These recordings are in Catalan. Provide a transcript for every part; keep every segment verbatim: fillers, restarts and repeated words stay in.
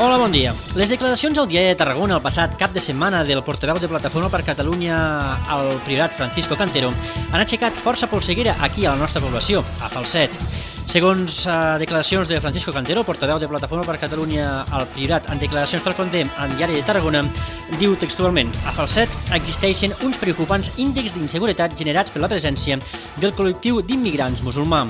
Hola, bon dia. Les declaracions al Diari de Tarragona el passat cap de setmana del portaveu de Plataforma per Catalunya al Priorat, Francisco Cantero, han aixecat força polseguera aquí a la nostra població, a Falset. Segons uh, declaracions de Francisco Cantero, portaveu de Plataforma per Catalunya al Priorat, en declaracions tal com dèiem al Diari de Tarragona, diu textualment: a Falset existeixen uns preocupants índexs d'inseguretat generats per la presència del col·lectiu d'immigrants musulmà.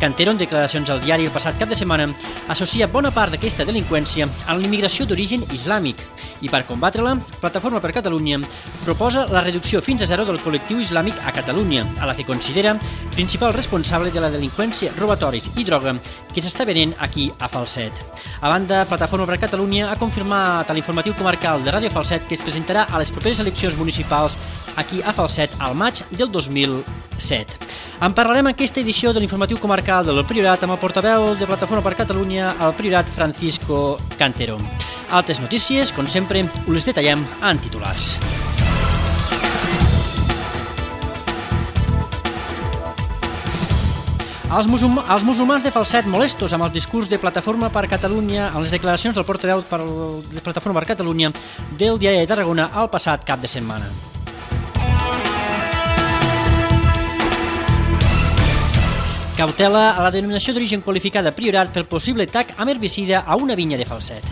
Cantero, en declaracions al diari el passat cap de setmana, associa bona part d'aquesta delinqüència a l'immigració d'origen islàmic i, per combatre-la, Plataforma per Catalunya proposa la reducció fins a zero del col·lectiu islàmic a Catalunya, a la que considera principal responsable de la delinqüència, robatoris i droga que s'està venent aquí a Falset. A banda, Plataforma per Catalunya ha confirmat a l'informatiu comarcal de Ràdio Falset que es presentarà a les properes eleccions municipals aquí a Falset al maig del dos mil set. En parlarem en aquesta edició de l'informatiu comarcal del Priorat amb el portaveu de Plataforma per Catalunya al Priorat, Francisco Cantero. Altres notícies, com sempre, us les detallem en titulars. Els, musulm els musulmans de Falset molestos amb el discurs de Plataforma per Catalunya en les declaracions del portaveu per de Plataforma per Catalunya del Diari de Tarragona el passat cap de setmana. Cautela a la denominació d'origen qualificada Priorat pel possible tac amb herbicida a una vinya de Falset.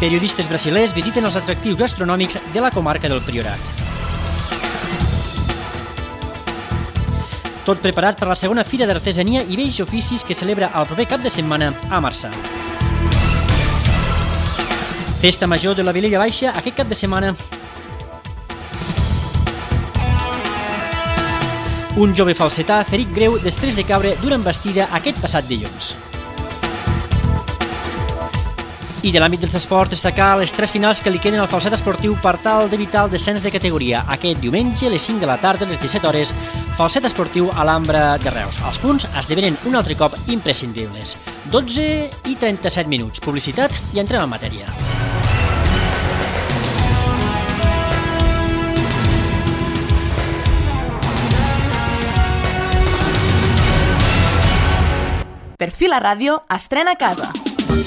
Periodistes brasilers visiten els atractius gastronòmics de la comarca del Priorat. Tot preparat per la segona Fira d'Artesania i Vells Oficis que celebra el proper cap de setmana a Marçà. Festa major de la Vilella Baixa aquest cap de setmana. Un jove falsetà ferit greu després de caure d'una embestida aquest passat dilluns. I de l'àmbit dels esports, destacar les tres finals que li queden al Falset Esportiu per tal d'evitar el descens de categoria. Aquest diumenge, a les cinc de la tarda, a les disset hores, Falset Esportiu a l'Ambra de Reus. Els punts esdevenen un altre cop imprescindibles. dotze i trenta-set minuts. Publicitat i entrem en matèria. Per fi la ràdio estrena a casa.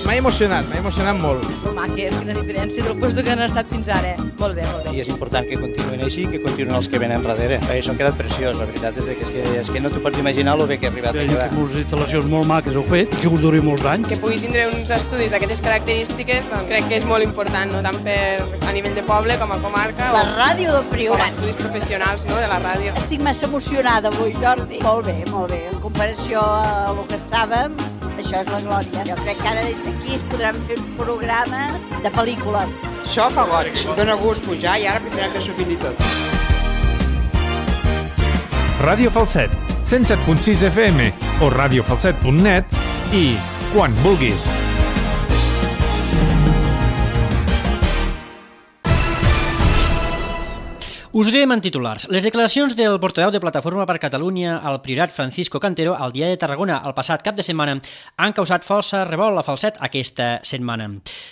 M'ha emocionat, m'ha emocionat molt. Maques, quina diferència del lloc que han estat fins ara. Molt bé, molt bé. I és important que continuïn així, que continuïn els que venen darrere. Això han quedat preciós, la veritat és que, és que no t'ho pots imaginar el bé que ha arribat a quedar. Unes instal·lacions molt maques heu fet, que us duri molts anys. Que pugui tindre uns estudis d'aquestes característiques, doncs crec que és molt important, no? Tant per a nivell de poble com a comarca. La ràdio del Priorat. Com a estudis professionals, no?, de la ràdio. Estic massa emocionada avui, Jordi. Molt bé, molt bé. En comparació a el que estàvem, això és la glòria. Jo crec que ara des d'aquí es podran fer un programa de pel·lícula. Això fa goig, dona gust pujar i ara tindrem més sovint i tot. Ràdio Falset, cent set punt sis F M o radiofalset punt net i quan vulguis. Us ho dèiem en titulars. Les declaracions del portaveu de Plataforma per Catalunya al Priorat, Francisco Cantero, al Diari de Tarragona el passat cap de setmana han causat força revolt a Falset aquesta setmana.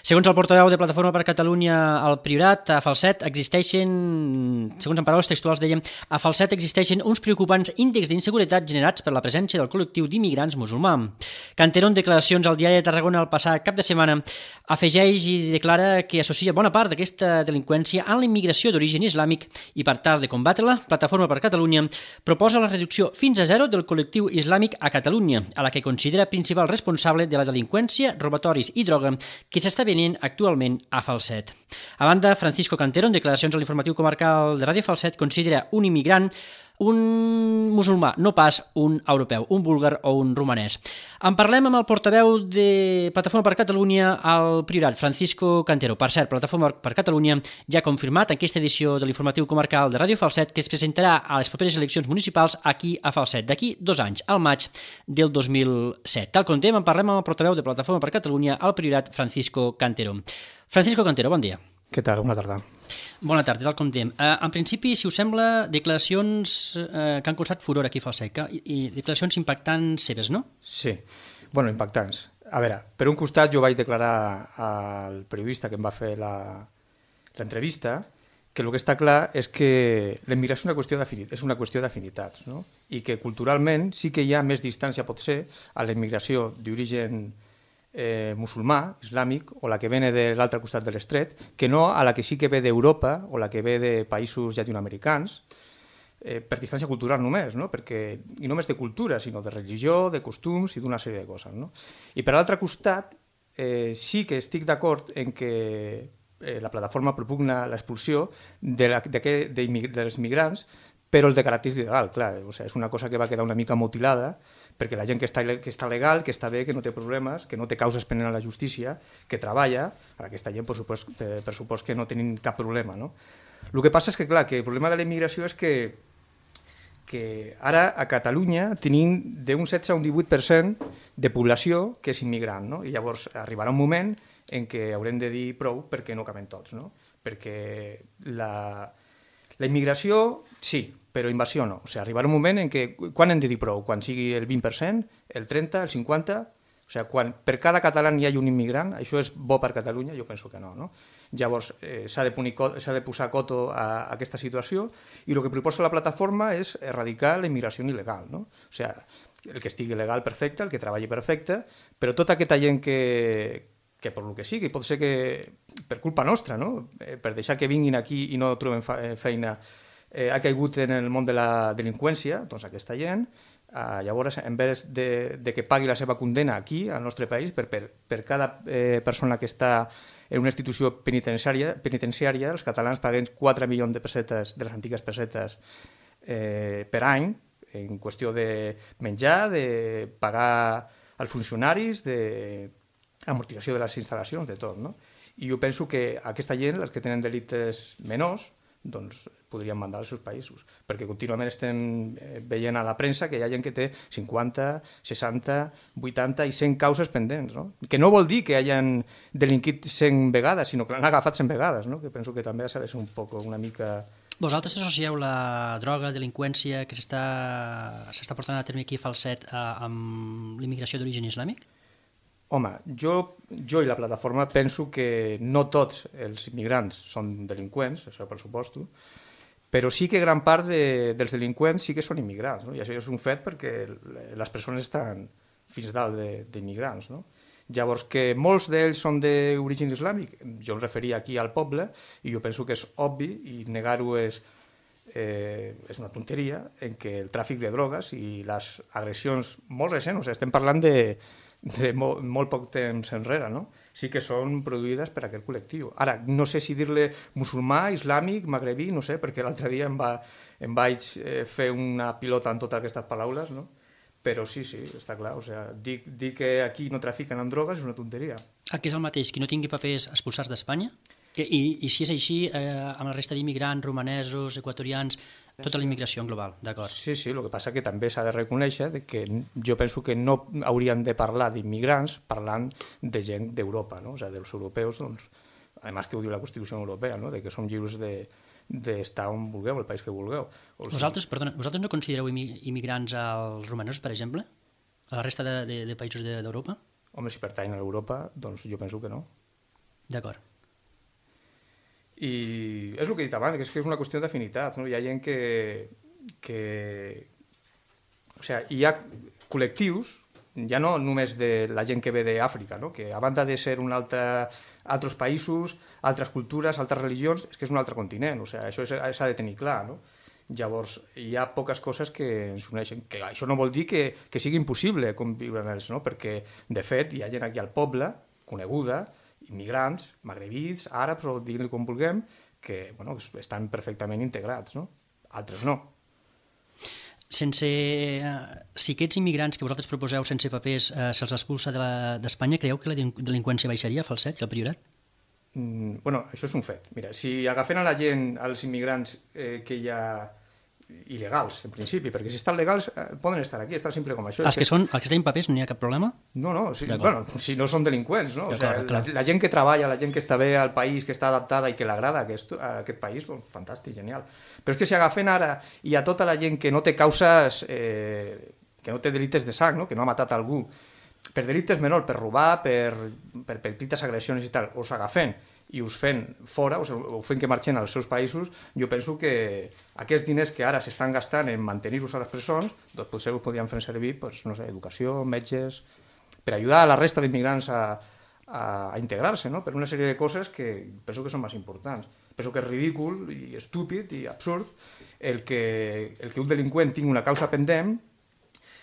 Segons el portaveu de Plataforma per Catalunya al Priorat, a Falset existeixen, segons en paraules textuals dèiem, a Falset existeixen uns preocupants índexs d'inseguretat generats per la presència del col·lectiu d'immigrants musulmà. Cantero, en declaracions al Diari de Tarragona el passat cap de setmana, afegeix i declara que associa bona part d'aquesta delinqüència a la immigració d'origen islàmic i per tal de combatre-la, Plataforma per Catalunya proposa la reducció fins a zero del col·lectiu islàmic a Catalunya, a la que considera principal responsable de la delinqüència, robatoris i droga que s'està venent actualment a Falset. A banda, Francisco Cantero, en declaracions a l'informatiu comarcal de Ràdio Falset, considera un immigrant un musulmà, no pas un europeu, un búlgar o un romanès. En parlem amb el portaveu de Plataforma per Catalunya al Priorat, Francisco Cantero. Per cert, Plataforma per Catalunya ja ha confirmat en aquesta edició de l'informatiu comarcal de Ràdio Falset que es presentarà a les properes eleccions municipals aquí a Falset, d'aquí dos anys, al maig del dos mil set. Tal com dèiem, en parlem amb el portaveu de Plataforma per Catalunya al Priorat, Francisco Cantero. Francisco Cantero, bon dia. Què tal? Bona tarda. Bona tarda, tal com dèiem. Uh, en principi, si us sembla, declaracions uh, que han causat furor aquí a Falset i, i declaracions impactants seves, no? Sí, bueno, impactants. A veure, per un costat jo vaig declarar al periodista que em va fer l'entrevista que el que està clar és que l'emigració és una qüestió d'afinitats, és una qüestió d'afinitats, no? I que culturalment sí que hi ha més distància, pot ser, a l'emigració d'origen eh, musulmà, islàmic, o la que ve de l'altre costat de l'estret, que no a la que sí que ve d'Europa o la que ve de països llatinoamericans, eh, per distància cultural només, no? Perquè, i no només de cultura, sinó de religió, de costums i d'una sèrie de coses, no? I per l'altre costat, eh, sí que estic d'acord en que Eh, la plataforma propugna l'expulsió de, la, de, que, de, de els migrants, però el de caràcter il·legal, clar, o sigui, és una cosa que va quedar una mica mutilada, perquè la gent que està, que està legal, que està bé, que no té problemes, que no té causes pendents a la justícia, que treballa, ara aquesta gent, per supost, per supost que no tenen cap problema, no? El que passa és que, clar, que el problema de la immigració és que, que ara a Catalunya tenim d'un setze a un divuit per cent de població que és immigrant, no? I llavors arribarà un moment en què haurem de dir prou perquè no caben tots, no? Perquè la, la immigració sí, però invasió no. O sigui, arribarà un moment en què, quan hem de dir prou? Quan sigui el vint per cent, el trenta, el cinquanta? O sigui, quan per cada català hi hagi un immigrant, això és bo per Catalunya? Jo penso que no, no? Llavors, eh, s'ha de, s'ha de posar coto a, a aquesta situació i el que proposa la plataforma és erradicar la immigració il·legal, no? O sigui, el que estigui legal, perfecte, el que treballi, perfecte, però tota aquesta gent que que per el que sigui, pot ser que per culpa nostra, no? Eh, per deixar que vinguin aquí i no troben feina, eh, ha caigut en el món de la delinqüència, doncs aquesta gent, eh, llavors, en vez de, de que pagui la seva condena aquí, al nostre país, per, per, per cada eh, persona que està en una institució penitenciària, penitenciària els catalans paguem quatre milions de pessetes, de les antigues pessetes, eh, per any, en qüestió de menjar, de pagar als funcionaris, de amortització de les instal·lacions, de tot, no? I jo penso que aquesta gent, els que tenen delictes menors, doncs podrien mandar als seus països, perquè contínuament estem veient a la premsa que hi ha gent que té cinquanta, seixanta, vuitanta i cent causes pendents, no? Que no vol dir que hagin delinquit cent vegades, sinó que l'han agafat cent vegades, no? Que penso que també s'ha de ser un poc, una mica... Vosaltres associeu la droga, delinqüència que s'està portant a terme aquí a Falset amb l'immigració d'origen islàmic? Home, jo, jo i la plataforma penso que no tots els immigrants són delinqüents, això per suposto, però sí que gran part de, dels delinqüents sí que són immigrants, no? I això és un fet perquè les persones estan fins dalt d'immigrants, no? Llavors, que molts d'ells són d'origen islàmic, jo em referia aquí al poble, i jo penso que és obvi, i negar-ho és, eh, és una tonteria, en què el tràfic de drogues i les agressions molt recents, o sigui, estem parlant de de molt, molt poc temps enrere, no? Sí que són produïdes per aquest col·lectiu. Ara, no sé si dir-li musulmà, islàmic, magrebí, no sé, perquè l'altre dia em, va, em vaig eh, fer una pilota en totes aquestes paraules, no? Però sí, sí, està clar. O sigui, dir, dir que aquí no trafiquen amb drogues és una tonteria. Aquí és el mateix, qui no tingui papers expulsats d'Espanya? I, I si és així, eh, amb la resta d'immigrants, romanesos, equatorians, tota la immigració en global, d'acord? Sí, sí, el que passa que també s'ha de reconèixer que jo penso que no hauríem de parlar d'immigrants parlant de gent d'Europa, no? O sigui, dels europeus, doncs, a més que ho diu la Constitució Europea, no? De que som lliures de d'estar on vulgueu, el país que vulgueu. O sigui... Vosaltres, perdona, vosaltres no considereu immigrants als romanesos, per exemple? A la resta de, de, de països d'Europa? Home, si pertanyen a Europa, doncs jo penso que no. D'acord. I és el que he dit abans, que és, que és una qüestió d'afinitat, no? Hi ha gent que, que... O sigui, hi ha col·lectius, ja no només de la gent que ve d'Àfrica, no? Que a banda de ser un altre, altres països, altres cultures, altres religions, és que és un altre continent, o sigui, això s'ha de tenir clar, no? Llavors, hi ha poques coses que ens uneixen, que això no vol dir que, que sigui impossible conviure amb ells, no? Perquè, de fet, hi ha gent aquí al poble, coneguda, immigrants, magrebís, àrabs, o diguin-li com vulguem, que bueno, estan perfectament integrats, no? Altres no. Sense... Si aquests immigrants que vosaltres proposeu sense papers eh, se'ls expulsa d'Espanya, de creieu que la delinqüència baixaria a Falset i al Priorat? Mm, bueno, això és un fet. Mira, si agafen a la gent, als immigrants eh, que hi ha il·legals, en principi, perquè si estan legals eh, poden estar aquí, estar simple com això. Els que, que són, els que tenen papers no hi ha cap problema? No, no, si, bueno, si no són delinqüents, no? O sigui, clar. La, la gent que treballa, la gent que està bé al país, que està adaptada i que l'agrada aquest, aquest país, doncs fantàstic, genial. Però és que si agafen ara i a tota la gent que no té causes, eh, que no té delictes de sang, no? Que no ha matat algú, per delictes menors, per robar, per, per petites agressions i tal, us agafen i us fent fora, us, us fent que marxen als seus països, jo penso que aquests diners que ara s'estan gastant en mantenir-vos a les presons, doncs potser us podrien fer servir, doncs, no sé, educació, metges, per ajudar a la resta d'immigrants a, a, a integrar-se, no? Per una sèrie de coses que penso que són més importants. Penso que és ridícul i estúpid i absurd el que, el que un delinqüent tingui una causa pendent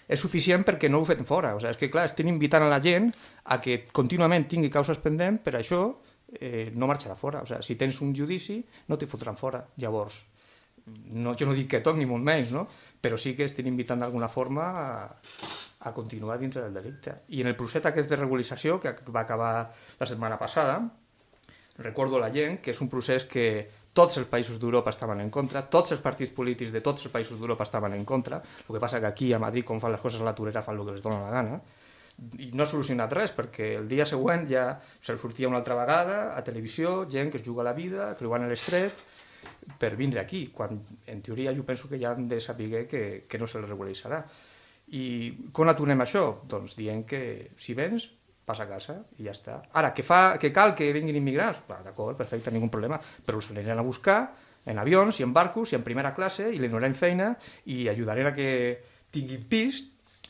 és suficient perquè no ho fem fora. O sigui, és que, clar, estem invitant a la gent a que contínuament tingui causes pendents, per això eh, no marxarà fora. O sigui, si tens un judici, no t'hi fotran fora. Llavors, no, jo no dic que tot ni molt menys, no? Però sí que estem invitant d'alguna forma a, a continuar dintre del delicte. I en el procés aquest de regularització, que va acabar la setmana passada, recordo a la gent que és un procés que tots els països d'Europa estaven en contra, tots els partits polítics de tots els països d'Europa estaven en contra, el que passa que aquí a Madrid, com fan les coses a la torera, fan el que els dona la gana, i no ha solucionat res, perquè el dia següent ja se'l sortia una altra vegada a televisió, gent que es juga la vida, creuant l'estret, per vindre aquí, quan en teoria jo penso que ja han de saber que, que no se les regularitzarà. I com aturem això? Doncs dient que si vens, passa a casa i ja està. Ara, que, fa, que cal que vinguin immigrants? D'acord, perfecte, ningú problema, però els aniran a buscar en avions i en barcos i en primera classe i li donarem feina i ajudarem a que tinguin pis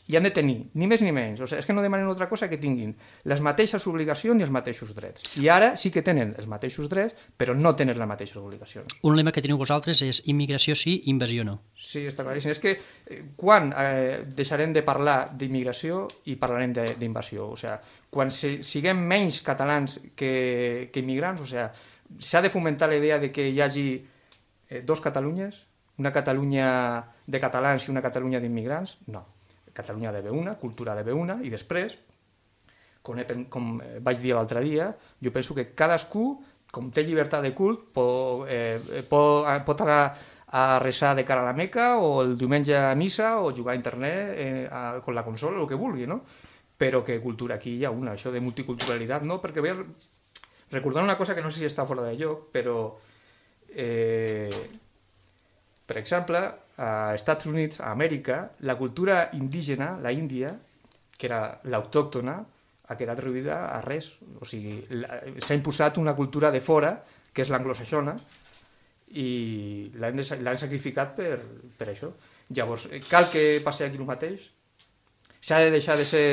i han de tenir, ni més ni menys. O sigui, és que no demanen altra cosa que tinguin les mateixes obligacions i els mateixos drets. I ara sí que tenen els mateixos drets, però no tenen les mateixes obligacions. Un lema que teniu vosaltres és immigració sí, invasió no. Sí, està claríssim. És que eh, quan eh, deixarem de parlar d'immigració i parlarem d'invasió? O sigui, quan se, siguem menys catalans que, que immigrants, o sigui, s'ha de fomentar la idea de que hi hagi eh, dos Catalunyes, una Catalunya de catalans i una Catalunya d'immigrants? No. Catalunya de bé una, cultura de bé una, i després, com, he, com vaig dir l'altre dia, jo penso que cadascú, com té llibertat de cult, pot, eh, pot, pot anar a resar de cara a la Meca, o el diumenge a missa, o jugar a internet eh, a, con la consola, el que vulgui, no? Però que cultura aquí hi ha una, això de multiculturalitat, no? Perquè vull recordar una cosa que no sé si està fora de lloc, però, eh, per exemple, a Estats Units, a Amèrica, la cultura indígena, la Índia, que era l'autòctona, ha quedat reduïda a res. O sigui, s'ha imposat una cultura de fora, que és l'anglosaxona, i l'han sacrificat per, per això. Llavors, cal que passi aquí el mateix? S'ha de deixar de ser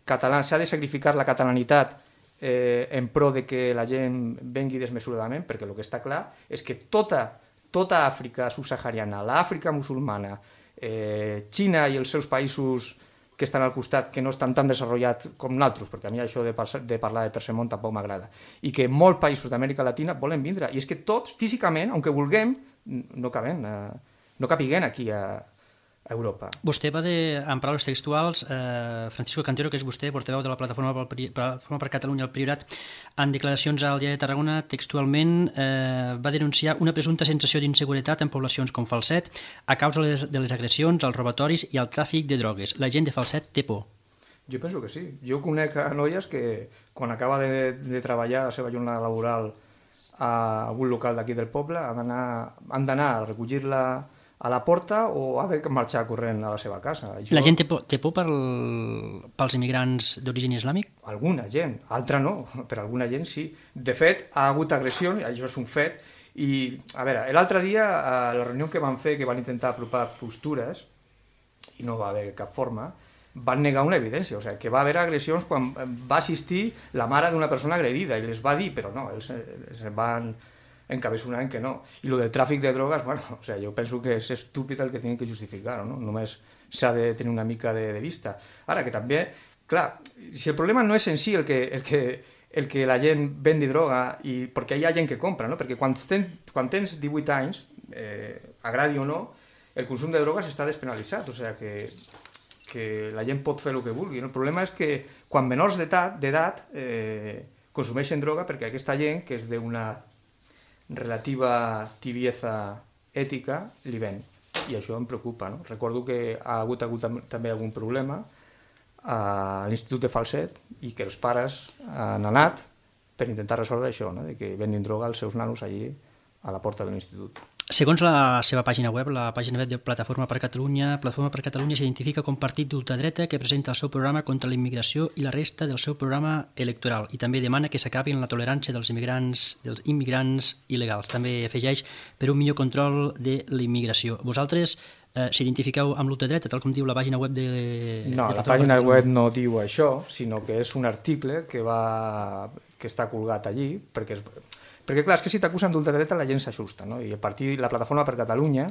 català, s'ha de sacrificar la catalanitat eh, en pro de que la gent vengui desmesuradament, perquè el que està clar és que tota tota Àfrica subsahariana, l'Àfrica musulmana, eh, Xina i els seus països que estan al costat, que no estan tan desenvolupats com nosaltres, perquè a mi això de, de parlar de tercer món tampoc m'agrada, i que molts països d'Amèrica Latina volen vindre, i és que tots, físicament, aunque vulguem, no cabem, eh, no capiguem aquí a, a Europa. Vostè va dir, en paraules textuals, eh, Francisco Cantero, que és vostè, portaveu de la Plataforma per, Plataforma per Catalunya al Priorat, en declaracions al Diari de Tarragona, textualment eh, va denunciar una presumpta sensació d'inseguretat en poblacions com Falset a causa de les, de les agressions, els robatoris i el tràfic de drogues. La gent de Falset té por. Jo penso que sí. Jo conec a noies que quan acaba de, de treballar la seva jornada laboral a algun local d'aquí del poble han d'anar a recollir-la a la porta o ha de marxar corrent a la seva casa. Jo... La gent té por, té por pel, pels immigrants d'origen islàmic? Alguna gent, altra no, per alguna gent sí. De fet, ha hagut agressions, això és un fet, i a veure, l'altre dia, a la reunió que van fer, que van intentar apropar postures, i no va haver cap forma, van negar una evidència, o sigui, que va haver agressions quan va assistir la mare d'una persona agredida, i les va dir, però no, ells es van encabesonant que no. I el del tràfic de drogues, bueno, o sigui, jo penso que és estúpid el que tenen que justificar-ho, no? Només s'ha de tenir una mica de, de vista. Ara, que també, clar, si el problema no és en si el que, el que, el que la gent vendi droga, i, perquè hi ha gent que compra, no? Perquè quan tens, quan tens divuit anys, eh, agradi o no, el consum de drogues està despenalitzat, o sigui que, que la gent pot fer el que vulgui. El problema és que quan menors d'edat eh, consumeixen droga, perquè aquesta gent, que és d'una relativa tibieza ètica, li ven. I això em preocupa, no? Recordo que ha hagut, hagut també algun problema a l'Institut de Falset i que els pares han anat per intentar resoldre això, no? De que vendin droga als seus nanos allí a la porta de l'institut. Segons la seva pàgina web, la pàgina web de Plataforma per Catalunya, Plataforma per Catalunya s'identifica com partit d'ultradreta que presenta el seu programa contra la immigració i la resta del seu programa electoral i també demana que s'acabi amb la tolerància dels immigrants, dels immigrants il·legals. També afegeix per un millor control de l'immigració. Vosaltres eh, s'identifiqueu amb l'ultradreta, tal com diu la pàgina web de... No, de la pàgina web no diu això, sinó que és un article que, va, que està colgat allí, perquè és... Perquè, clar, és que si t'acusen d'ultradreta la gent s'ajusta, no? I el partit, la Plataforma per Catalunya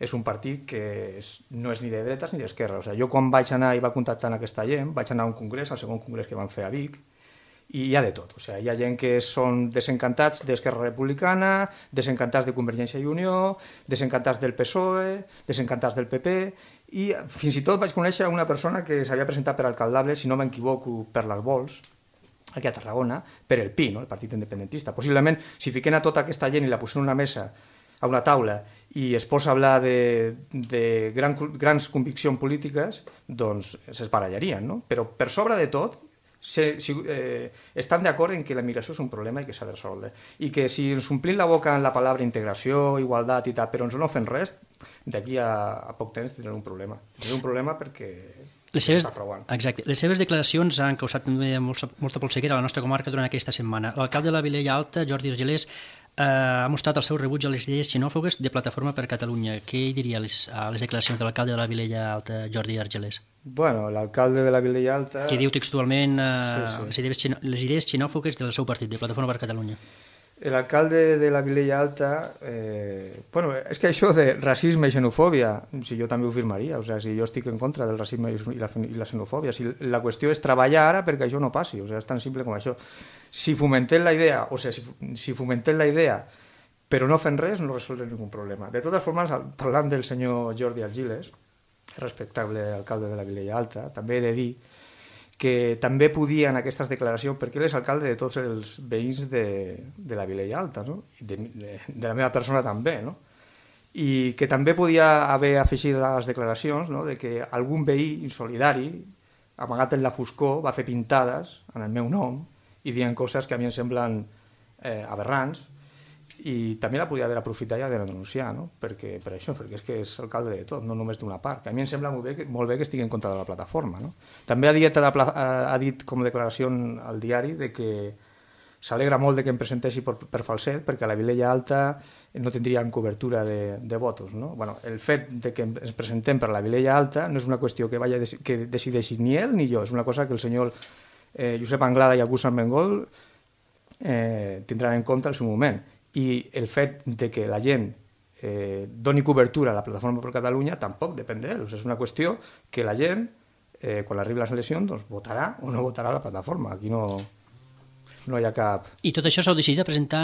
és un partit que és, no és ni de dretes ni d'esquerra. O sigui, jo quan vaig anar i va contactar amb aquesta gent, vaig anar a un congrés, al segon congrés que van fer a Vic, i hi ha de tot. O sigui, hi ha gent que són desencantats d'Esquerra Republicana, desencantats de Convergència i Unió, desencantats del P S O E, desencantats del P P, i fins i tot vaig conèixer una persona que s'havia presentat per alcaldable, si no m'equivoco, per les Vols, aquí a Tarragona, per el P I, no? El Partit Independentista. Possiblement, si fiquen a tota aquesta gent i la posen a una mesa, a una taula, i es posa a parlar de, de gran, grans conviccions polítiques, doncs s'esbarallarien, no? Però per sobre de tot, se, si, eh, estan d'acord en que la migració és un problema i que s'ha de resoldre. I que si ens omplim la boca en la paraula integració, igualtat i tal, però ens no fem res, d'aquí a, a poc temps tindrem un problema. Tindrem un problema perquè... Les seves, exacte. Les seves declaracions han causat també molta, molta polseguera a la nostra comarca durant aquesta setmana. L'alcalde de la Vilella Alta, Jordi Argelers, eh, ha mostrat el seu rebuig a les idees xenòfogues de Plataforma per Catalunya. Què hi diria a les, a les declaracions de l'alcalde de la Vilella Alta, Jordi Argelers? Bueno, l'alcalde de la Vilella Alta... Que diu textualment eh, sí, sí. Les, idees, les idees xenòfogues del seu partit, de Plataforma per Catalunya. L'alcalde de la Vilella Alta, eh, bueno, és que això de racisme i xenofòbia, si jo també ho firmaria, o sigui, si jo estic en contra del racisme i la, i la xenofòbia, si la qüestió és treballar ara perquè això no passi, o sigui, és tan simple com això. Si fomentem la idea, o sigui, si, si fomentem la idea però no fem res, no resolvem ningú problema. De totes formes, parlant del senyor Jordi Argiles, respectable alcalde de la Vilella Alta, també he de dir que també podia en aquestes declaracions, perquè ell és alcalde de tots els veïns de, de la Vilella Alta, no? de, de, de la meva persona també, no? I que també podia haver afegit a les declaracions, no? De que algun veí insolidari, amagat en la foscor, va fer pintades en el meu nom i dient coses que a mi em semblen eh, aberrants, i també la podia haver aprofitat ja de denunciar, no? Perquè, per això, perquè és que és alcalde de tot, no només d'una part, que a mi em sembla molt bé que, molt bé que estigui en contra de la plataforma, no? També ha dit, ha dit com a declaració al diari de que s'alegra molt de que em presenteixi per, per falset, perquè a la Vilella Alta no tindrien cobertura de, de votos, no? Bueno, el fet de que ens presentem per la Vilella Alta no és una qüestió que, vaya, que decideixi ni ell ni jo, és una cosa que el senyor eh, Josep Anglada i August Armengol eh, tindran en compte al seu moment. I el fet de que la gent eh, doni cobertura a la Plataforma per Catalunya tampoc depèn d'ell. O sigui, és una qüestió que la gent, eh, quan arribi les eleccions, doncs, votarà o no votarà la plataforma. Aquí no, no hi ha cap... I tot això s'ha decidit a presentar,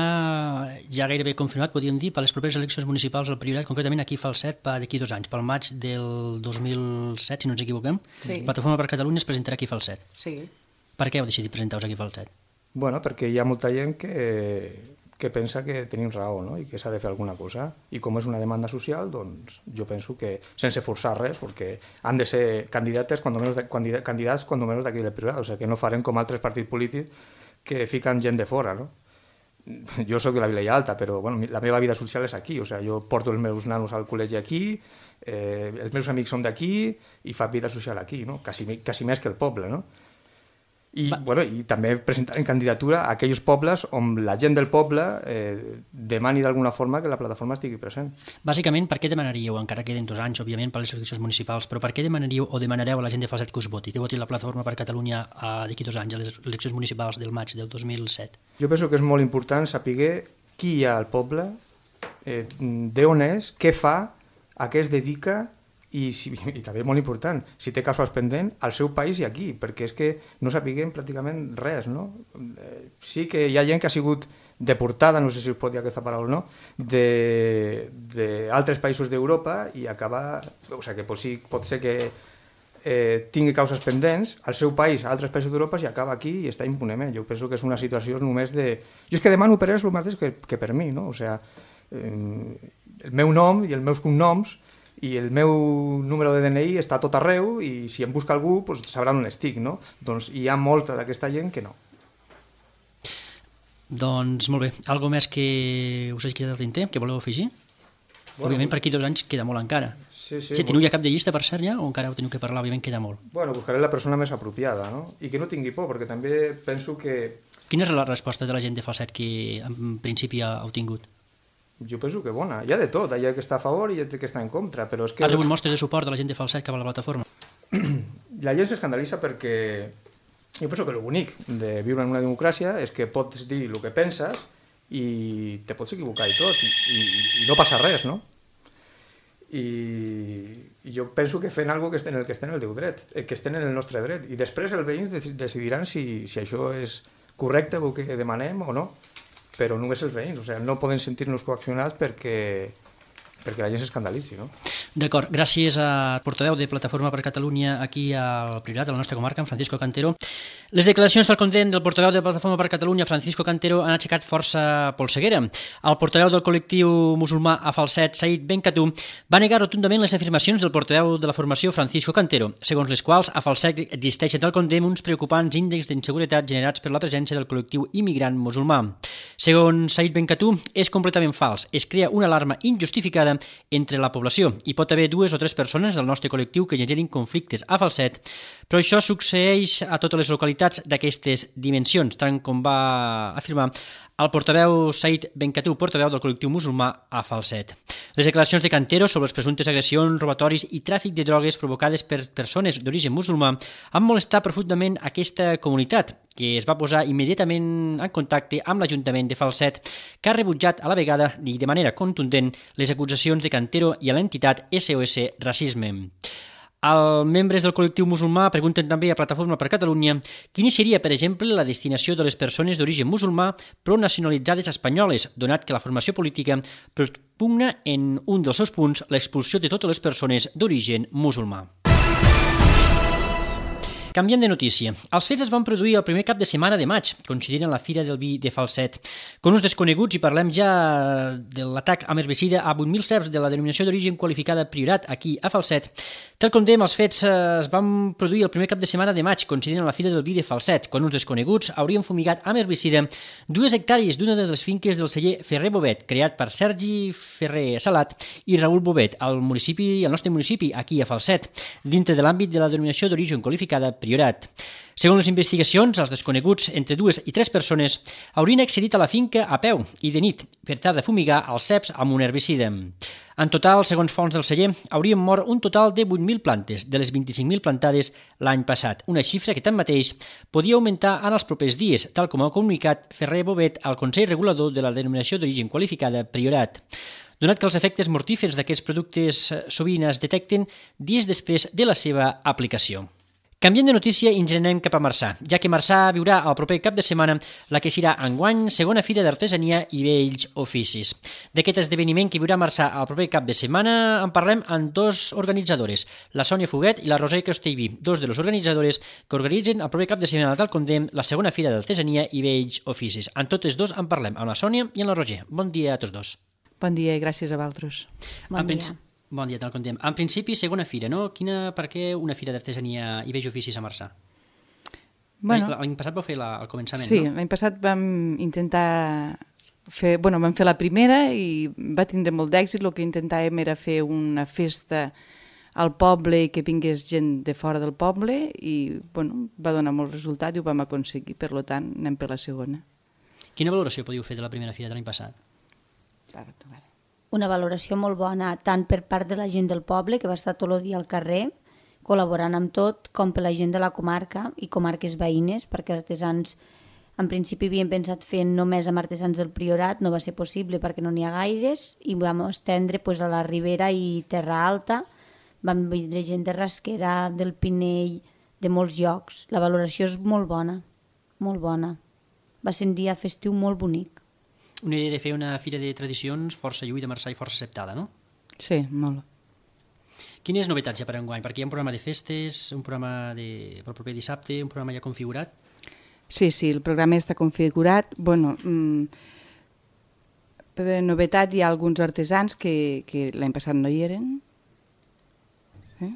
ja gairebé confirmat, podríem dir, per les properes eleccions municipals al Priorat, concretament aquí a Falset, per d'aquí dos anys, pel maig del dos mil set, si no ens equivoquem. Sí. Plataforma per Catalunya es presentarà aquí a Falset. Sí. Per què heu decidit presentar-vos aquí a Falset? Bueno, perquè hi ha molta gent que... que pensa que tenim raó, no? I que s'ha de fer alguna cosa. I com és una demanda social, doncs jo penso que, sense forçar res, perquè han de ser candidates, quan menys de, candidats quan menys d'aquí del Priorat, o sigui, que no farem com altres partits polítics que fiquen gent de fora, no? Jo soc de la Vilella Alta, però bueno, la meva vida social és aquí, o sigui, jo porto els meus nanos al col·legi aquí, eh, els meus amics són d'aquí i fa vida social aquí, no? Quasi, quasi més que el poble, no? I, bueno, i també presentar en candidatura a aquells pobles on la gent del poble eh, demani d'alguna forma que la plataforma estigui present. Bàsicament, per què demanaríeu, encara queden dos anys, òbviament, per les eleccions municipals, però per què demanaríeu o demanareu a la gent de Falset que us voti, que voti la plataforma per Catalunya d'aquí dos anys, a les eleccions municipals del maig del dos mil set? Jo penso que és molt important saber qui hi ha al poble, eh, d'on és, què fa, a què es dedica. I, si, i també molt important, si té casos pendents al seu país i aquí, perquè és que no sapiguem pràcticament res, no? Eh, sí que hi ha gent que ha sigut deportada, no sé si es pot dir aquesta paraula o no, d'altres països d'Europa i acaba... O sigui, que pot, sí, pot ser que eh, tingui causes pendents al seu país, a altres països d'Europa, i acaba aquí i està impunement. Jo penso que és una situació només de... Jo és que demano per ells el mateix que, que per mi, no? O sigui, eh, el meu nom i els meus cognoms i el meu número de D N I està tot arreu i si em busca algú doncs sabran on estic, no? Doncs hi ha molta d'aquesta gent que no. Doncs molt bé. Algo més que us hagi quedat al tinter, que voleu afegir? Bueno, òbviament per aquí dos anys queda molt encara. Sí, sí. Si teniu ja cap de llista per cert ja, o encara ho teniu que parlar, òbviament queda molt. Bueno, buscaré la persona més apropiada, no? I que no tingui por, perquè també penso que... Quina és la resposta de la gent de Falset que en principi ha tingut? Jo penso que bona. Hi ha de tot, hi ha que està a favor i hi ha que està en contra, però és que... Ha rebut mostres de suport de la gent de Falset cap a la plataforma? La gent s'escandalitza perquè jo penso que el bonic de viure en una democràcia és que pots dir el que penses i te pots equivocar i tot, i, i, i no passa res, no? I, i jo penso que fent alguna cosa que, en el que estem en el teu dret, que estem en el nostre dret, i després els veïns decidiran si, si això és correcte el que demanem o no, però només els veïns, o sigui, no poden sentir-nos coaccionats perquè, perquè la gent s'escandalitzi, no? D'acord, gràcies al portaveu de Plataforma per Catalunya aquí al Priorat, a la nostra comarca, en Francisco Cantero. Les declaracions del condemn del portaveu de Plataforma per Catalunya, Francisco Cantero, han aixecat força polseguera. El portaveu del col·lectiu musulmà a Falset, Said Benkatou, va negar rotundament les afirmacions del portaveu de la formació, Francisco Cantero, segons les quals a Falset existeixen del condemn uns preocupants índexs d'inseguretat generats per la presència del col·lectiu immigrant musulmà. Segons Said Benkatou, és completament fals. Es crea una alarma injustificada entre la població i pot haver dues o tres persones del nostre col·lectiu que generin conflictes a Falset, però això succeeix a totes les localitats d'aquestes dimensions, tant com va afirmar el portaveu Said Benkatou, portaveu del col·lectiu musulmà a Falset. Les declaracions de Cantero sobre les presumptes agressions, robatoris i tràfic de drogues provocades per persones d'origen musulmà han molestat profundament aquesta comunitat, que es va posar immediatament en contacte amb l'Ajuntament de Falset, que ha rebutjat a la vegada i de manera contundent les acusacions de Cantero i a l'entitat S O S Racisme. Els membres del col·lectiu musulmà pregunten també a Plataforma per Catalunya quina seria, per exemple, la destinació de les persones d'origen musulmà pronacionalitzades espanyoles, donat que la formació política propugna en un dels seus punts l'expulsió de totes les persones d'origen musulmà. Canviem de notícia. Els fets es van produir el primer cap de setmana de maig, coincidint amb la Fira del Vi de Falset. Con uns desconeguts, i parlem ja de l'atac amb herbicida a vuit mil ceps de la denominació d'origen qualificada Priorat aquí a Falset. Tal com dèiem, els fets es van produir el primer cap de setmana de maig, coincidint amb la Fira del Vi de Falset. Con uns desconeguts haurien fumigat amb herbicida dues hectàrees d'una de les finques del celler Ferrer Bobet, creat per Sergi Ferrer Salat i Raül Bobet, al municipi, al nostre municipi, aquí a Falset, dintre de l'àmbit de la denominació d'origen qualificada Priorat. Segons les investigacions, els desconeguts, entre dues i tres persones, haurien accedit a la finca a peu i de nit per tal de fumigar els ceps amb un herbicida. En total, segons fonts del celler, haurien mort un total de vuit mil plantes, de les vint-i-cinc mil plantades l'any passat, una xifra que tanmateix podia augmentar en els propers dies, tal com ha comunicat Ferrer Bobet al Consell Regulador de la denominació d'origen qualificada Priorat, donat que els efectes mortífers d'aquests productes sovint es detecten dies després de la seva aplicació. Canviem de notícia i ens anem cap a Marçà, ja que Marçà viurà el proper cap de setmana la que serà enguany segona Fira d'Artesania i Vells Oficis. D'aquest esdeveniment que viurà Marçà el proper cap de setmana en parlem amb dos organitzadores, la Sònia Foguet i la Roser Castellví, dos de les organitzadores que organitzen el proper cap de setmana tal com dèiem la segona Fira d'Artesania i Vells Oficis. En totes dos en parlem, amb la Sònia i amb la Roser. Bon dia a tots dos. Bon dia i gràcies a vosaltres. Bon en dia. Bon dia, tal com dèiem. En principi, segona fira, no? Quina, per què una fira d'artesania i vells oficis a Marçà? Bueno, l'any passat vau fer la, el començament, sí, no? Sí, l'any passat vam intentar fer... Bueno, vam fer la primera i va tindre molt d'èxit. El que intentàvem era fer una festa al poble i que vingués gent de fora del poble i, bueno, va donar molt resultat i ho vam aconseguir. Per tant, anem per la segona. Quina valoració podíeu fer de la primera fira de l'any passat? Clar, clar. Una valoració molt bona, tant per part de la gent del poble, que va estar tot el dia al carrer, col·laborant amb tot, com per la gent de la comarca i comarques veïnes, perquè artesans, en principi havien pensat fer només amb artesans del Priorat, no va ser possible perquè no n'hi ha gaires, i vam estendre pues, a la Ribera i Terra Alta, vam vindre gent de Rasquera, del Pinell, de molts llocs. La valoració és molt bona, molt bona. Va ser un dia festiu molt bonic. Una idea de fer una fira de tradicions força lluïda a Marçà i força acceptada, no? Sí, molt. Quines novetats hi ha per enguany? Perquè hi ha un programa de festes, un programa de, pel proper dissabte, un programa ja configurat? Sí, sí, el programa està configurat. Bueno, mmm, per novetat hi ha alguns artesans que, que l'any passat no hi eren. Eh?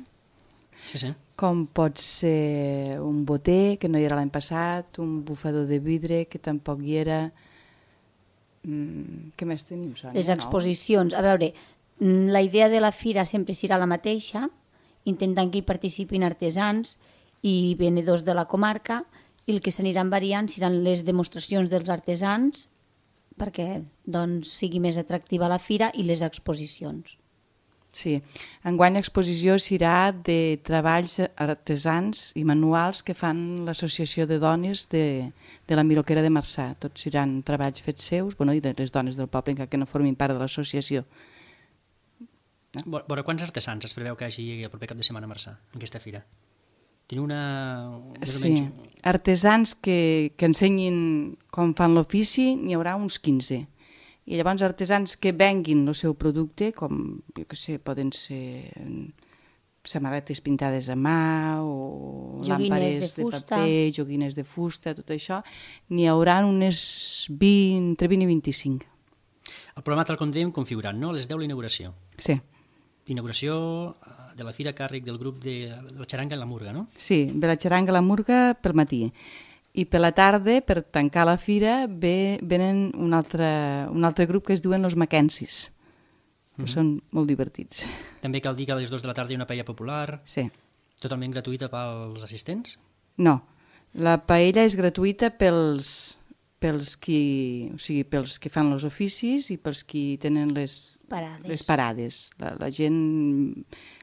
Sí, sí. Com pot ser un boter, que no hi era l'any passat, un bufador de vidre, que tampoc hi era... Mm, què més tenim, Sònia? Les exposicions, a veure, La idea de la fira sempre serà la mateixa, intentant que hi participin artesans i venedors de la comarca, i el que s'aniran variant seran les demostracions dels artesans perquè doncs, sigui més atractiva la fira i les exposicions. Sí, enguany l'exposició serà de treballs artesans i manuals que fan l'Associació de Dones de, de la Miroquera de Marçà. Tots seran treballs fets seus, bueno, i de les dones del poble encara que no formin part de l'associació. Eh? Veure, quants artesans es preveu que hi hagi el proper cap de setmana a Marçà, en aquesta fira? Teniu una... Sí, artesans que, que ensenyin com fan l'ofici, n'hi haurà uns quinze. I llavors artesans que venguin el seu producte, com, jo què sé, poden ser samarretes pintades a mà o làmpares de, de paper, joguines de fusta, tot això, n'hi haurà unes vint, entre vint i vint-i-cinc. El programa tal com dèiem configurat, no? A les deu l'inauguració. Sí. Inauguració de la fira a càrrec del grup de la xaranga i la murga, no? Sí, de la xaranga i la murga pel matí. I per la tarda, per tancar la fira, ve, venen un altre, un altre grup que es diuen els Mackensis, que mm-hmm. són molt divertits. També cal dir que a les dues de la tarda hi ha una paella popular, sí. Totalment gratuïta pels assistents? No, la paella és gratuïta pels, pels, qui, o sigui, pels que fan els oficis i pels qui tenen les parades. Les parades. La, la, gent,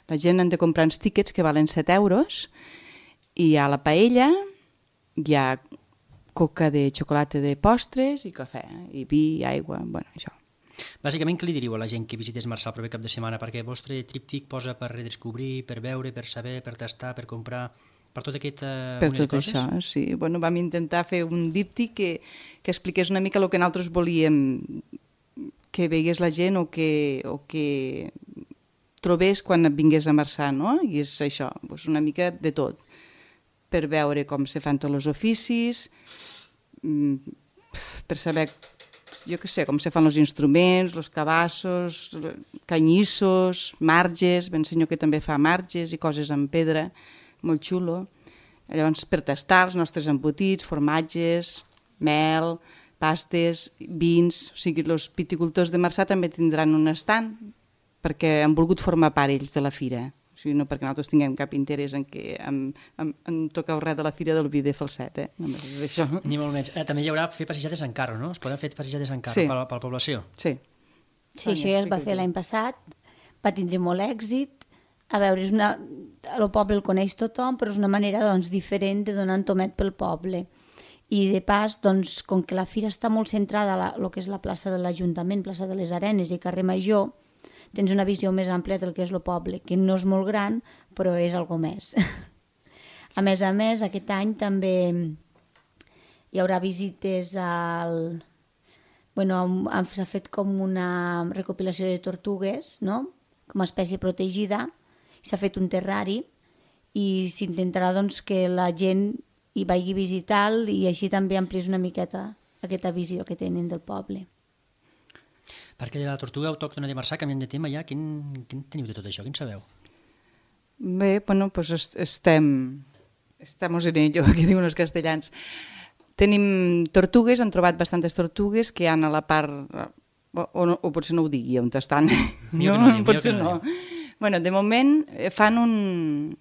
la gent han de comprar uns tíquets que valen set euros i hi ha la paella, hi ha coca de xocolata de postres i cafè, i vi, aigua, bueno, això. Bàsicament, què li diríeu a la gent que visités Marçà el proper cap de setmana? Perquè el vostre tríptic posa per redescobrir, per veure, per saber, per tastar, per comprar, per tot aquest uh, per tot això, sí. Bueno, vam intentar fer un díptic que, que expliqués una mica el que nosaltres volíem que veiés la gent o que, o que trobés quan vingués a Marçà, no? I és això, doncs una mica de tot, per veure com se fan tots els oficis, per saber, jo què sé, com se fan els instruments, els cabassos, canyissos, marges, ben senyor que també fa marges i coses en pedra, molt xulo. Llavors, per tastar els nostres embotits, formatges, mel, pastes, vins, o sigui, els viticultors de Marçà també tindran un estand perquè han volgut formar part ells de la fira. O sigui, no perquè nosaltres tinguem cap interès en que en, en, en toqueu res de la fira del vi de Falset, eh? Només és això. Ni molt menys. Eh, també hi haurà fer passejades en carro, no? Es poden fer passejades en carro sí. per, per la població? Sí. Sí, això ja es va fer l'any passat, va tindre molt èxit. A veure, és una... el poble el coneix tothom, però és una manera doncs, diferent de donar un tomet pel poble. I de pas, doncs, com que la fira està molt centrada a la, lo que és la plaça de l'Ajuntament, plaça de les Arenes i carrer Major, tens una visió més àmplia del que és el poble, que no és molt gran, però és algo més. A més a més, aquest any també hi haurà visites al... Bueno, s'ha fet com una recopilació de tortugues, no? Com a espècie protegida, s'ha fet un terrari i s'intentarà doncs, que la gent hi vagi a visitar i així també ampliés una miqueta aquesta visió que tenen del poble. Perquè de la tortuga autòctona de Marçà, canviant de tema ja, quin, quin teniu de tot això? Quin sabeu? Bé, bueno, pues estem, estamos en ello, que diuen els castellans. Tenim tortugues, han trobat bastantes tortugues que hi ha a la part, o, o, o potser no ho digui on estan. Millor no, no, potser no. no. Bueno, de moment fan un,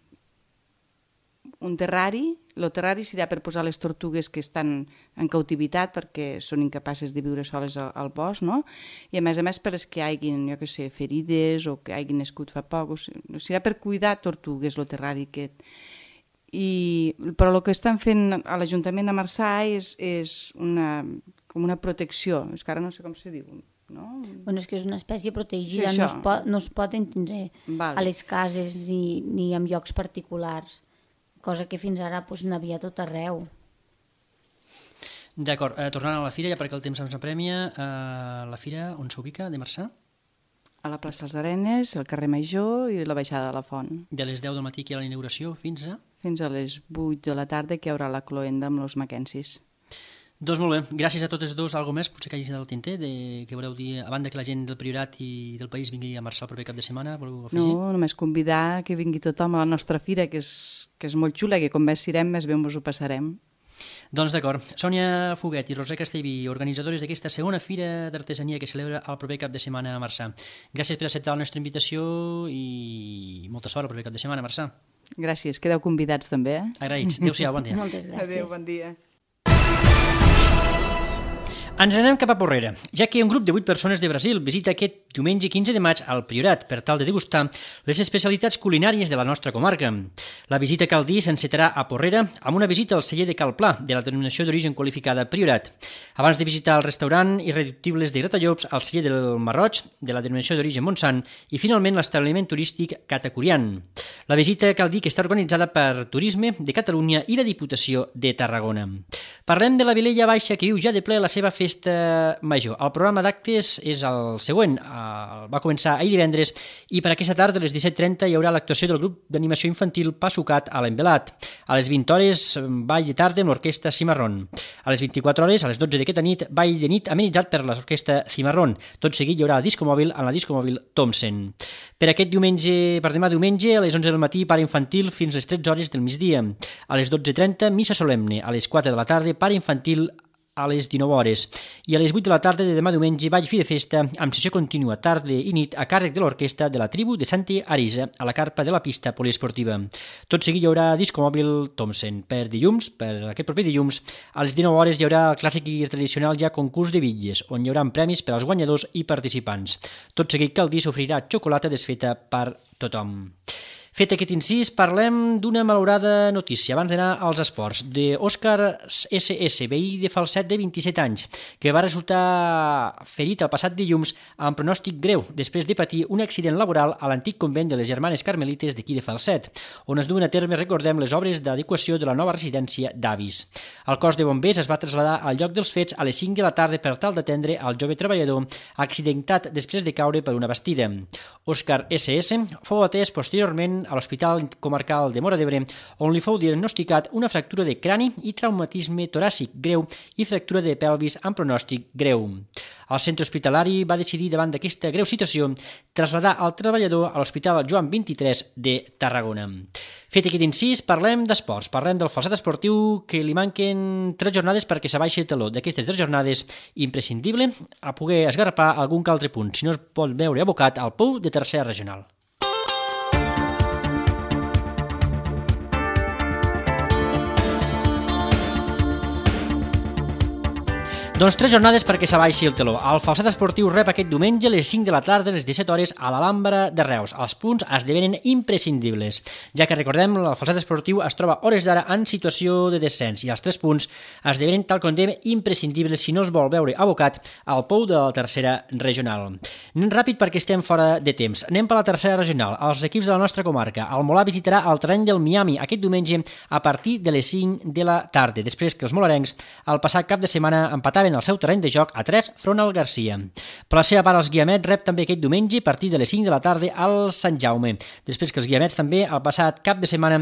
un terrari. El terrari serà per posar les tortugues que estan en cautivitat perquè són incapaces de viure soles al, al bosc, no? I a més a més per les que hagin, jo què sé, ferides o que hagin nascut fa poc. O sigui, serà per cuidar tortugues, el terrari aquest. I, però el que estan fent a l'Ajuntament de Marçà és, és una, com una protecció, és que ara no sé com se diu, no? Bueno, és que és una espècie protegida, sí, no, es pot, no es pot entendre vale. A les cases ni, ni en llocs particulars, cosa que fins ara doncs, n'havia tot arreu. D'acord, eh, tornant a la fira, ja perquè el temps ens apremia, eh, la fira on s'ubica, de Marçà? A la plaça dels Arenes, al carrer Major i la baixada de la Font. De les deu del matí que hi ha la inauguració fins a? Fins a les vuit de la tarda que hi haurà la cloenda amb els Mackensis. Doncs molt bé, gràcies a totes dos. Algo més, potser que hagi del tinter, de, que voleu dir, a banda que la gent del Priorat i del país vingui a Marçà el proper cap de setmana, voleu afegir? No, només convidar que vingui tothom a la nostra fira, que és, que és molt xula, que com més sirem, més bé ens ho passarem. Doncs d'acord. Sònia Foguet i Roser Castellví, organitzadores d'aquesta segona fira d'artesania que celebra el proper cap de setmana a Marçà. Gràcies per acceptar la nostra invitació i molta sort el proper cap de setmana a Marçà. Gràcies, quedeu convidats també, eh? Agraïts. Adéu-siau, bon dia. Moltes gràcies. Adéu, bon dia. Ens anem cap a Porrera, ja que un grup de vuit persones de Brasil visita aquest diumenge quinze de maig al Priorat per tal de degustar les especialitats culinàries de la nostra comarca. La visita, cal dir, s'encetarà a Porrera amb una visita al celler de Cal Pla, de la denominació d'origen qualificada Priorat, abans de visitar el restaurant Irreductibles de Gratallops, al celler del Marroig, de la denominació d'origen Montsant, i finalment l'establiment turístic Catacurian. La visita, cal dir, que està organitzada per Turisme de Catalunya i la Diputació de Tarragona. Parlem de la Vilella Baixa, que viu ja de ple la seva festa major. El programa d'actes és el següent. Va començar ahir divendres i per aquesta tarda a les disset trenta hi haurà l'actuació del grup d'animació infantil Passucat a l'Envelat. A les vint hores, ball de tarda amb l'orquestra Cimarrón. A les vint-i-quatre hores, a les dotze d'aquesta nit, ball de nit amenitzat per l'orquestra Cimarrón. Tot seguit hi haurà discomòbil en la discomòbil Thompson. Per aquest diumenge, per demà diumenge, a les onze del matí, pare infantil fins a les tretze hores del migdia. A les dotze trenta, missa solemne. A les quatre de la tarda, pare infantil a les dinou hores. I a les vuit de la tarda de demà diumenge, ball fi de festa amb sessió contínua tarda i nit a càrrec de l'orquestra de la tribu de Santa Arisa a la carpa de la pista poliesportiva. Tot seguit hi haurà discomòbil Thompson. Per dilluns, per aquest proper dilluns, a les dinou hores hi haurà el clàssic i tradicional ja concurs de bitlles, on hi haurà premis per als guanyadors i participants. Tot seguit, cal dir, s'oferirà xocolata desfeta per tothom. Fet aquest incís, parlem d'una malaurada notícia abans d'anar als esports, d'Òscar esse esse, veí de Falset de vint-i-set anys, que va resultar ferit el passat dilluns amb pronòstic greu després de patir un accident laboral a l'antic convent de les Germanes Carmelites d'aquí de Falset, on es duen a terme, recordem, les obres d'adequació de la nova residència d'avis. El cos de bombers es va traslladar al lloc dels fets a les cinc de la tarda per tal d'atendre el jove treballador accidentat després de caure per una bastida. Òscar esse esse fou atès posteriorment a l'Hospital Comarcal de Móra d'Ebre, on li fou diagnosticat una fractura de crani i traumatisme toràcic greu i fractura de pelvis amb pronòstic greu. El centre hospitalari va decidir, davant d'aquesta greu situació, traslladar el treballador a l'Hospital Joan vint-i-tres de Tarragona. Fet aquest incís, parlem d'esports, parlem del falset esportiu, que li manquen tres jornades perquè s'abaixi el taló. D'aquestes tres jornades, imprescindible a poder esgarrapar algun que altre punt, si no es pot veure abocat al pou de tercera regional. Doncs tres jornades perquè s'abaixi el teló. El falset esportiu rep aquest diumenge a les cinc de la tarda a les disset hores a l'Alhambra de Reus. Els punts esdevenen imprescindibles, ja que, recordem, el falset esportiu es troba hores d'ara en situació de descens i els tres punts esdevenen, tal com dèiem, imprescindibles si no es vol veure abocat al pou de la tercera regional. Anem ràpid perquè estem fora de temps. Anem per la tercera regional. Els equips de la nostra comarca. El Molà visitarà el terreny del Miami aquest diumenge a partir de les cinc de la tarda, després que els molarencs el passat cap de setmana empataven el seu terreny de joc a tres front al Garcia. Per la seva part, els Guiamets rep també aquest diumenge a partir de les cinc de la tarda al Sant Jaume. Després que els Guiamets també, el passat cap de setmana,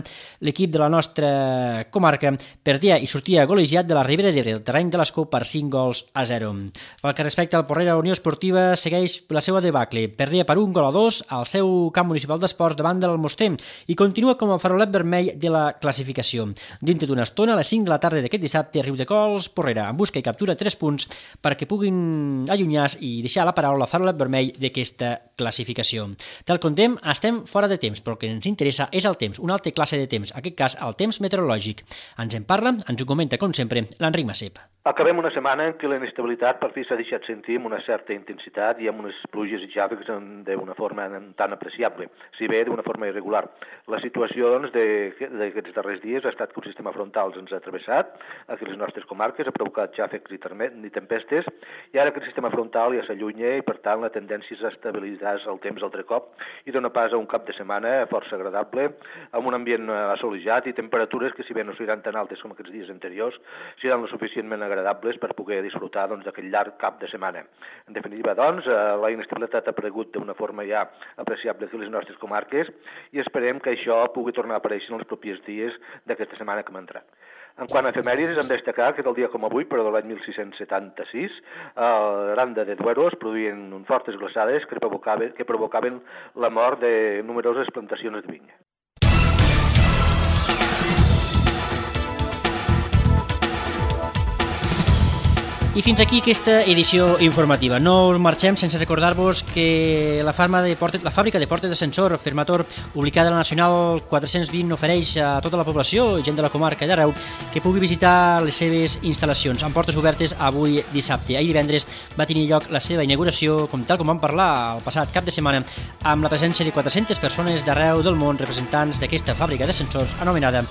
l'equip de la nostra comarca perdia i sortia golejat de la Ribera d'Ebre, el terreny de l'Escó, per cinc gols a zero. Pel que respecta al Porrera, Unió Esportiva segueix la seva debacle. Perdia per un gol a dos al seu camp municipal d'esports davant de l'Almoster i continua com a farolet vermell de la classificació. Dintre d'una estona, a les cinc de la tarda d'aquest dissabte, Riudecols, Porrera, en busca i captura tres punts perquè puguin allunyar i deixar la paraula farolet vermell d'aquesta classificació. Tal com dèiem, estem fora de temps, però el que ens interessa és el temps, una altra classe de temps, en aquest cas el temps meteorològic. Ens en parla, ens ho comenta, com sempre, l'Enric Macep. Acabem una setmana en què la inestabilitat per fi s'ha deixat sentir amb una certa intensitat i amb unes pluges i xàfecs d'una forma tan apreciable, si bé d'una forma irregular. La situació doncs, d'aquests darrers dies ha estat que un sistema frontal ens ha travessat aquí les nostres comarques, ha provocat xàfecs i tempestes, i ara aquest sistema frontal ja s'allunya i per tant la tendència és a estabilitzar el temps altre cop i dona pas a un cap de setmana força agradable, amb un ambient assolejat i temperatures que, si bé no seran tan altes com aquests dies anteriors, seran lo suficientment agradables per poder disfrutar doncs, d'aquest llarg cap de setmana. En definitiva, doncs, la inestabilitat ha aparegut d'una forma ja apreciable a les nostres comarques i esperem que això pugui tornar a aparèixer en els propers dies d'aquesta setmana que m'ha entrat. En quant a efemèrides, hem de destacar que del dia com avui, però de l'any mil sis-cents setanta-sis, a l'Aranda de Duero es produïen fortes glaçades que provocaven, que provocaven la mort de numeroses plantacions de vinya. I fins aquí aquesta edició informativa. No marxem sense recordar-vos que la, de portes, la fàbrica de portes d'ascensor Fermator, ubicada a la Nacional quatre-cents vint, ofereix a tota la població, gent de la comarca i d'arreu, que pugui visitar les seves instal·lacions amb portes obertes avui dissabte. Ahir divendres va tenir lloc la seva inauguració, com tal com vam parlar el passat cap de setmana, amb la presència de quatre-centes persones d'arreu del món, representants d'aquesta fàbrica d'ascensors anomenada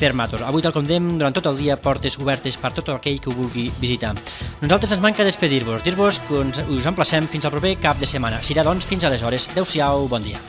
Fermator. Avui, tal com dèiem, durant tot el dia, portes obertes per tot aquell que ho vulgui visitar. Nosaltres ens manca despedir-vos, dir-vos que us emplacem fins al proper cap de setmana. Serà, doncs, fins aleshores. Adéu-siau, bon dia.